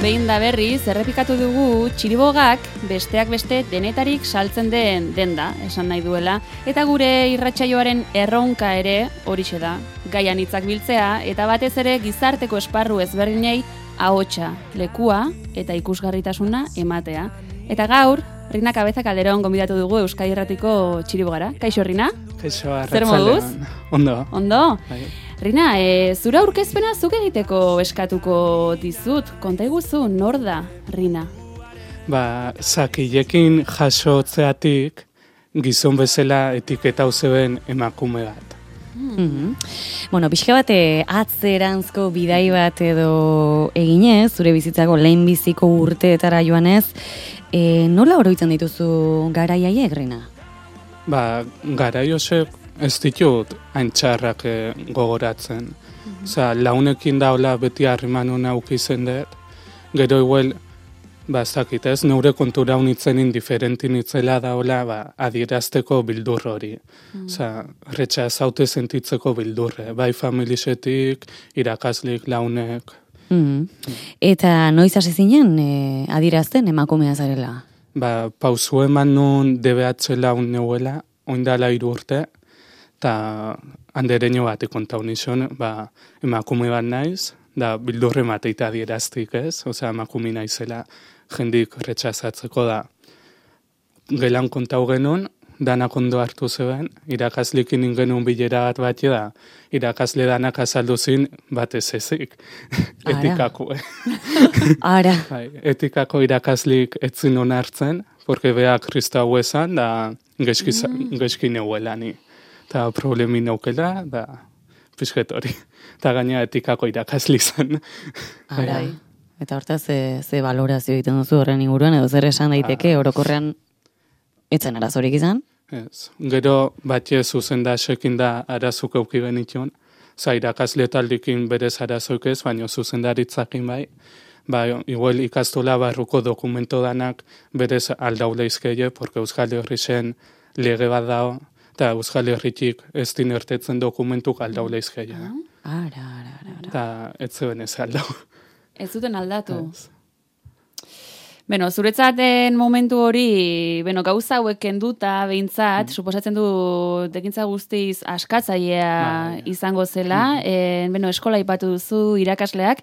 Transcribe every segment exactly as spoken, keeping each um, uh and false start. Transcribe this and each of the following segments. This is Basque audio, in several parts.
behin da berriz, errepikatu dugu txiribogak besteak beste denetarik saltzen den denda, esan nahi duela, eta gure irratsaioaren erronka ere horixe da, gaian hitzak biltzea, eta batez ere gizarteko esparru ezberdinei ahotsa, lekua eta ikusgarritasuna ematea. Eta gaur, Rina Cabeza Calderón gonbidatu dugu Euskadi Irratiko txiribogara. Kaixo, Rina? Kaixo, zer moduz? Ondo. Ondo? Bai. Rina, e, zura aurkezpena zuk egiteko eskatuko dizut. Konta iguzu, nor da, Rina? Ba, zakilekin jasotzeatik gizon bezala etiketa zeben emakume bat. Mm-hmm. Bueno, pixka bat atzeranzko bidai bat edo eginez, zure bizitzako lehen biziko urteetara joanez, e, nola oroitzen dituzu garaiaiek, Rina? Ba, garaiosek ez ditut haintxarrak gogoratzen. Mm-hmm. Osa, launekin daula beti harrimanun aukizen dut. Gero igual, ba, ez dakit ez, neure kontura unitzen indiferentin itzela daula, ba, adierazteko bildur hori. Mm. Osa, retxa zaute sentitzeko bildurre. Bai familisetik, irakaslik, launek. Mm-hmm. Eta noiz hasi zinen e, adierazten emakumea zarela? Ba, pausu eman nun D B H laun neuela, oindala hiru urte, eta handereño bat ikontau nizun, ba, emakume bat naiz, da bildurre mateita adieraztik ez, osea emakume naizela jendik retxazatzeko da. Gelan kontau genuen, danak ondo hartu zeben, irakaslikin ingenuen bilera bat bat da, irakasle danak azaldu zin batez ezik. Etikako, eh? Ara. Bai, etikako irakaslik etzin onartzen, porque bea kristau esan, da geski, mm. geski neuela ni. Eta problemi naukela, da pixket hori. Eta gaina etikako irakasli zen. Ara. Eta hortaz, ze, ze valorazio egiten duzu horren inguruan, edo zer esan daiteke, orokorrean etzen arazorik izan? Ez. Gero batxe zuzen da sekin da arazuk euki benitun. Za irakasle taldikin berez arazoik ez, baina zuzendaritzakin bai. Ba, igual ikastola barruko dokumento danak berez aldaule izkeie, porque Euskal Herrixen lege bat dao, eta Euskal Herritik ez dinertetzen dokumentuk aldaule izkeie. Ara, ara, ara. Eta ez zeben ez aldau. Ez zuten aldatu. Ez. Beno, zuretzaten momentu hori, beno, gauza hauek kenduta behintzat, mm. suposatzen du tekintza guztiz askatzailea ba, izango zela, mm. e, beno, eskola ipatu duzu irakasleak,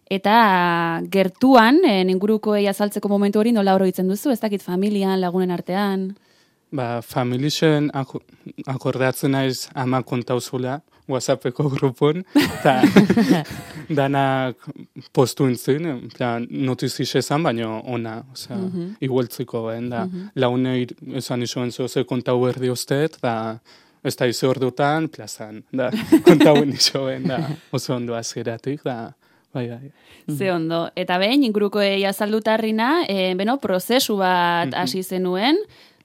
eta gertuan, en ingurukoei azaltzeko momentu hori nola oroitzen duzu, ez dakit familian, lagunen artean? Ba, familixen ak akordatzen naiz ama kontauzula, WhatsAppeko grupon, eta danak postu intzin, notizixe esan, baina ona, oza, mm -hmm. igueltziko, ben, da, mm -hmm. laune esan isoen zoze kontau berdi usteet, da, ez da izo ordutan, plazan, da, kontau isoen, da, oso ondo azgeratik, da, bai, bai. Ze ondo, eta behin, inguruko azalduta Rina, e, beno, prozesu bat hasi mm -hmm. zenuen,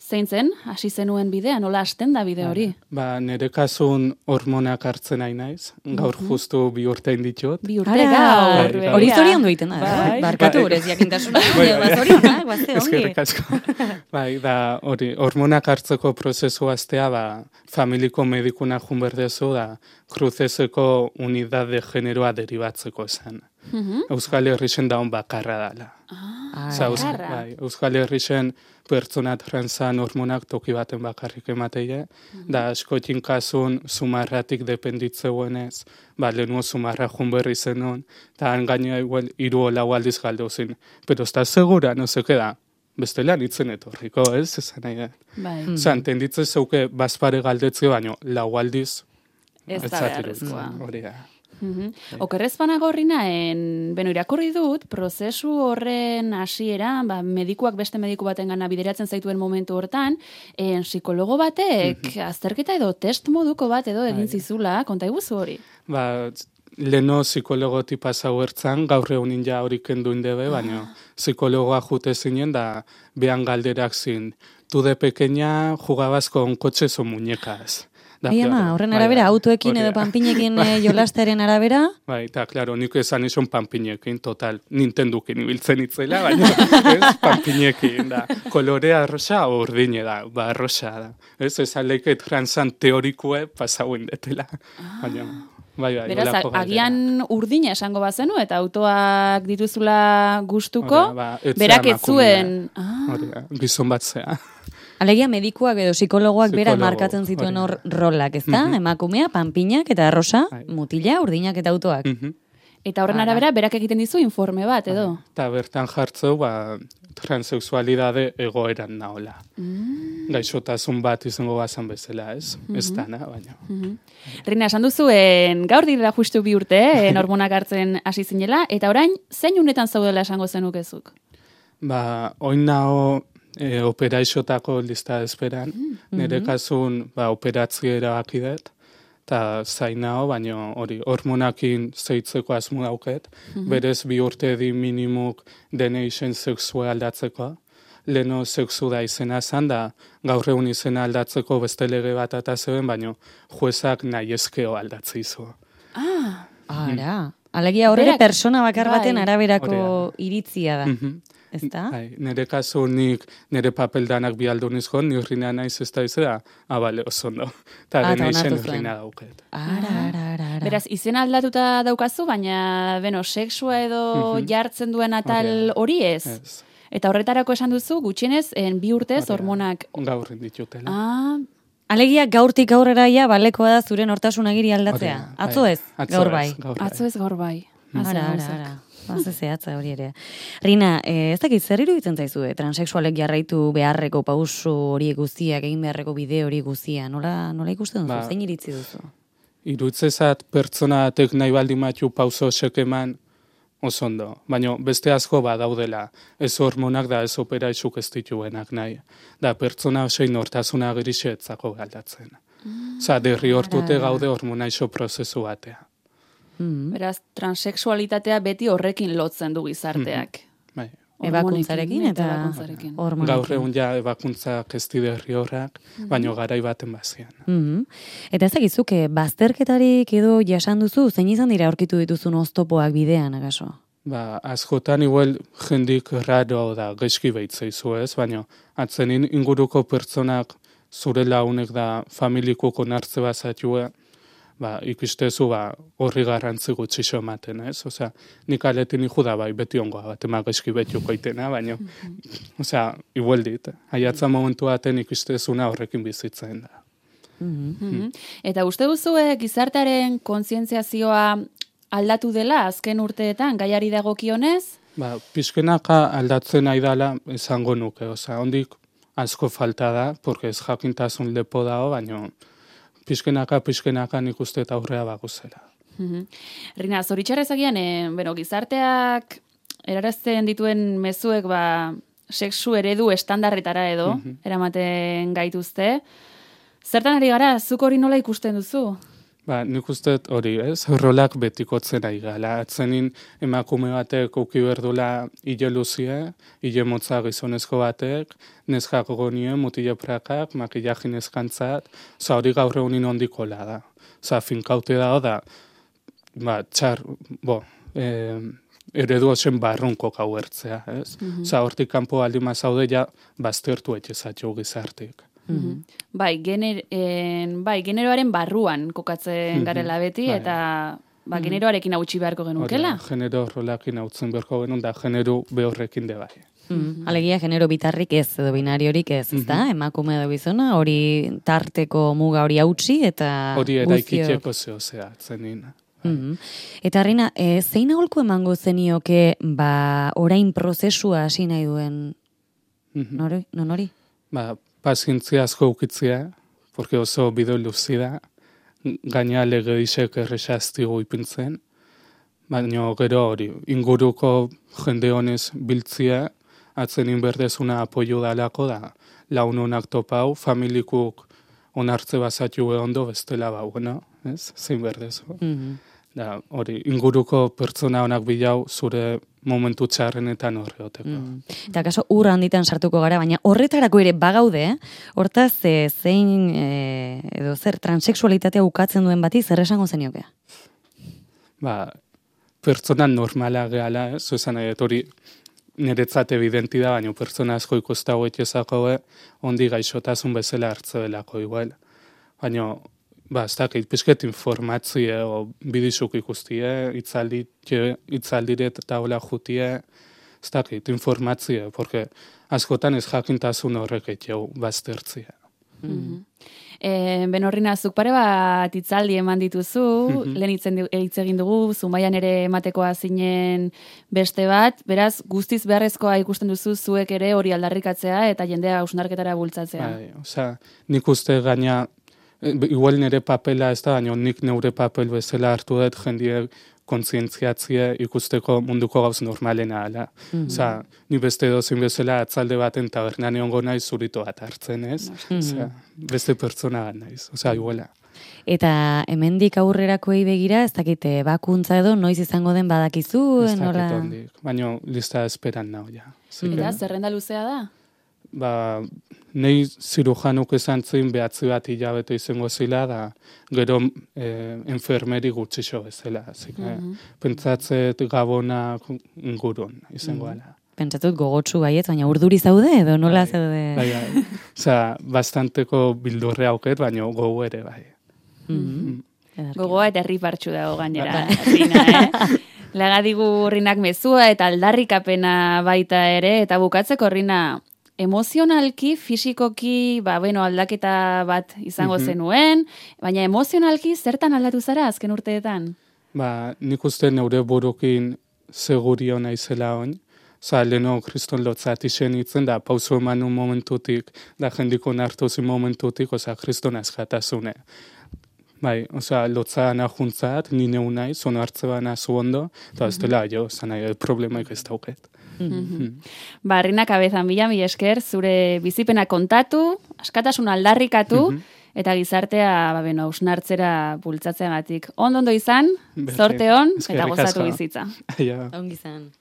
zein zen, hasi zenuen bidea, nola hasten da bide hori? Ba, nire kasun hormonak hartzen nahi naiz, gaur mm -hmm. justu bi urte inditxot. Bi urte gaur. Hori zorion duiten da, barkatu gurez jakintasuna, guazte ongi. Bai, da, hori, hormonak hartzeko prozesu aztea, ba, familiko medikuna junberdezu, da, kruzezeko unidad de generoa deribatzeko esan. Mm -hmm. Euskal Herrixen daun bakarra dala. Ah, Zau, bai, Euskal Herrixen pertsona transan hormonak toki baten bakarrik emateie, mm -hmm. da askotin kasun sumarratik dependitzeguenez, ba, lehenuo sumarra junberri zenun, eta gaina igual iru lau aldiz galdozin. Pero está segura, no se queda, bestela nitzen etorriko, ez? Esan nahi da. Bai. Mm -hmm. Osa, entenditzen zeuke bazpare galdetze, baino lau aldiz ez da beharrezkoa. Hori da. Mm-hmm. Okerrezpanago horrinaen, beno, irakurri dut, prozesu horren hasiera, ba, medikuak beste mediku baten gana bideratzen zaituen momentu hortan, en, psikologo batek, mm-hmm. azterketa edo test moduko bat edo egin zizula, konta iguzu hori? Ba, leno psikologo tipa zauertzan, gaur egunin ja horik kenduin debe, baina ah. psikologoa jute zinen, da behan galderak zin, tu de pequeña jugabas con coches o muñecas. Bai, ama, horren arabera, bai, autoekin edo panpinekin bai. Jolastaren arabera? Bai, eta, klaro, nik esan izan panpinekin, total, Nintendukin ibiltzen itzela, baina, ez, panpinekin, da, kolorea arroxa, urdine da, ba, arroxa da. Ez, ez aleike transan teorikue pasauen detela, ah. baina... bai, bai, Beraz, holako galdera. agian urdina esango bazenu, eta autoak dituzula gustuko, Hori da, ba, ez berak zea ez zuen... emakumea. Ah, Hori da, gizon bat zea. Alegia medikuak edo psikologoak bera Psikologo, markatzen zituen hori hor rolak, ezta? Mhm. Emakumea, panpinak eta arrosa, Bai. mutila, urdinak eta autoak. Mhm. eta horren Ara. arabera, berak egiten dizu informe bat, edo? Eta bertan jartzeu, ba, transexualidade egoeran naola. Mm. Gaixotasun bat izango bazan bezala, ez? Ez dana, baina. Mhm. Rina, esan duzuen, gaur direla justu bi urte, eh, hormonak hartzen hasi zinela, eta orain, zein unetan zaudela esango zenukezuk? Ba, oin nao e, operaixotako lista esperan, nire kasun ba, operatzea erabaki dut, eta zain nao, baina hori hormonakin zeitzeko asmo dauket, berez bi urte di minimuk dene izen sexua aldatzeko, leno sexu da izena zan, da gaur egun izena aldatzeko beste lege bat eta zeuden, baina juezak nahi eskeo aldatze izu. Ah, Ara. Alegia horre Berak- persona bakar baten bai. araberako Hori iritzia da. Mhm. Ezta? Bai, nire kasu nik nire papeldanak bi aldu nizko, ni urrina naiz ez da izera, ah, bale, oso ondo. Eta Ah, eta dena izen onartu zuen. urrina dauket. Ara, ara, ara, ara. beraz, izena aldatuta daukazu, baina, beno, sexua edo Mhm. jartzen duen atal Hori hori ez. Ez, Eta horretarako esan duzu, gutxienez, en bi urtez Hori da. hormonak... gaur ditutela. Ah, Alegia gaurtik aurrera ja balekoa da zure nortasunagiri aldatzea. Hori da, Atzo bai. ez, Atzo gaur ez, bai. gaur bai. atzo ez gaur bai. Atzo Ara, ara, gauzak. ara. Baze zehatza hori ere. Rina, eh, ez dakit zer iruditzen zaizu, eh? Transexualek jarraitu beharreko pauso hori guztiak, egin beharreko bide hori guztia. Nola, nola ikusten duzu? Ba, Zein iritzi duzu? Irutzezat pertsona batek nahi baldin matu pauso sekeman oso ondo. Baina beste asko badaudela. Ez hormonak da ez operaixuk ez dituenak nahi. Da pertsona osein nortasuna girisetzako galdatzen. Osa, derri hortute gaude hormonaixo prozesu batea. Mm. Beraz, transexualitatea beti horrekin lotzen du gizarteak. Bai. Ebakuntzarekin Hormonekin eta ebakuntzarekin. hormonekin. Gaur egun ja ebakuntzak ez derri horrak, baina garai baten bazian. Mhm. Eta ez dakizuk, eh, bazterketarik edo jasan duzu, zein izan dira aurkitu dituzun oztopoak bidean, agaso? Ba, askotan igual jendik raro da gaizki behitzeizu ez, baina atzenin inguruko pertsonak zure launek da familikoko nartze bazatue, ba, ikustezu ba, horri garrantzi gutxi ematen, ez? Osea, nik aletin iku da bai, beti ongoa bat, ema gaizki betiuko itena, baina, osea, igual dit, aiatza momentu baten ikustezuna horrekin bizitzen da. Mhm. Eta uste duzue gizartearen kontzientziazioa aldatu dela azken urteetan gaiari dagokionez? Ba, pixkenaka aldatzen nahi dala esango nuke, osea, ondik asko falta da, porque ez jakintasun lepo dago, baina pixkenaka, pixkenaka nik uste eta aurrea baguzela. Mhm. Rina, zoritxarrez agian, eh, bueno, gizarteak erarazten dituen mezuek ba, sexu eredu estandarretara edo, eramaten gaituzte. Zertan ari gara, zuk hori nola ikusten duzu? Ba, nik uste hori, ez? Rolak betikotzen ari gala. Atzenin emakume batek uki berdula hile luzie, hile motza gizonezko batek, neskak gonie, mutile prakak, makillajin eskantzat, oza, hori gaur egunin ondikola da. Oza, finkaute dago da, ba, txar, bo, eh, eredu osen barrunko gauertzea, ez? Oza, hortik kanpo aldima zaude ja, baztertu etxezatio gizartik. Mhm. Bai, gener, en, bai, generoaren barruan kokatzen garela beti, Bai. eta ba, generoarekin hautsi beharko genukela. Hori da, genero rolakin hautzen beharko genuen, da genero behorrekin de bai. Mm. Alegia genero bitarrik ez, edo binariorik ez, ezta? Emakume edo bizona, hori tarteko muga hori hautsi eta Hori guztiok- eraikiteko zeo zea, zenin. Mhm. Eta Rina, e, zein aholku emango zenioke ba, orain prozesua hasi nahi duen Mhm. nori? Non hori? Ba, pazientzia asko ukitzea, porque oso bideo luzi da, gaina lege isek errexaztigu ipintzen, baina gero hori, inguruko jende honez biltzia, atzenin berdezuna apoio dalako da, laun honak topau, familikuk onartze bazatu ondo bestela bau, no? Ez? Zein berdezu. Mhm. Da, hori, inguruko pertsona honak bilau zure momentu txarrenetan horreoteko. Mm. Eta kaso ur handitan sartuko gara, baina horretarako ere bagaude, eh? Hortaz, e, zein e, edo zer transexualitatea ukatzen duen bati, zer esango zenioke? Ba, pertsona normala gehala, ez? Zuzan nahi, dut hori niretzat evidenti da, baina pertsona asko ikustago etxezako, ondi gaixotasun bezala hartze belako igual. Baina ba, ez dakit, pizket informatzia, o bidizuk ikustie, itzaldiret eta hola jutie, ez dakit, informatzia, porque askotan ez jakintasun horrek etxeu baztertzia. Mm-hmm. E, Benorrina, zuk pare bat itzaldi eman dituzu, mm-hmm. lehen itzen hitz egin dugu, Zumaian ere ematekoa zinen beste bat, beraz, guztiz beharrezkoa ikusten duzu zuek ere hori aldarrikatzea eta jendea hausnarketara bultzatzea. Bai, osea, nik uste gaina, igual nire papela ez da, baina nik neure papel bezala hartu dut jendiek kontzientziatzia ikusteko munduko gauz normalena ala. Mm-hmm. Osea, ni beste dozin bezala atzalde baten tabernan egongo naiz zurito bat hartzen, ez? Mm-hmm. Osea, beste pertsona bat naiz, osea, iguala. Eta hemendik aurrerakoei begira, ez dakite, bakuntza edo noiz izango den badakizu? Ez dakit ondik, baina lista esperan nao, ja. Eta zerrenda luzea da? Ba, nahi zirujanuk esan zin behatzi bat hilabete izango zila, da gero eh, enfermeri gutxixo bezala. Mm-hmm. Pentsatzet gabonak ingurun izango ala. Mm-hmm. Pentsatut gogotsu baiet, baina urduri zaude edo nola bai, zaude? Bai, bai. Osea, bastanteko bildurre auket, baina gogo ere bai. Mm-hmm. Mm. Gogoa eta herri partxu dago gainera, Rina, eh? Laga digu Rinak mezua eta aldarrikapena baita ere, eta bukatzeko Rina, emozionalki, fisikoki, ba, bueno, aldaketa bat izango mm-hmm. zenuen, baina emozionalki zertan aldatu zara azken urteetan? Ba, nik uste neure burukin segurio naizela on, oza, leheno kriston lotzat isen itzen, da pauso eman un momentutik, da jendiko nartuzin momentutik, oza, kriston azkatasune. Bai, oza, lotzaan ahuntzat, nine unai, zono hartze bana zu ondo, eta ez dela, jo, zanai, problemaik ez dauket. Mm-hmm. Ba, Rina Kabezan bila, mi esker, zure bizipena kontatu, askatasun aldarrikatu, mm-hmm. eta gizartea, ba, beno, ausnartzera bultzatzeagatik. Ondo ondo izan, zorte on, eta gozatu bizitza. Ja. Ongi izan.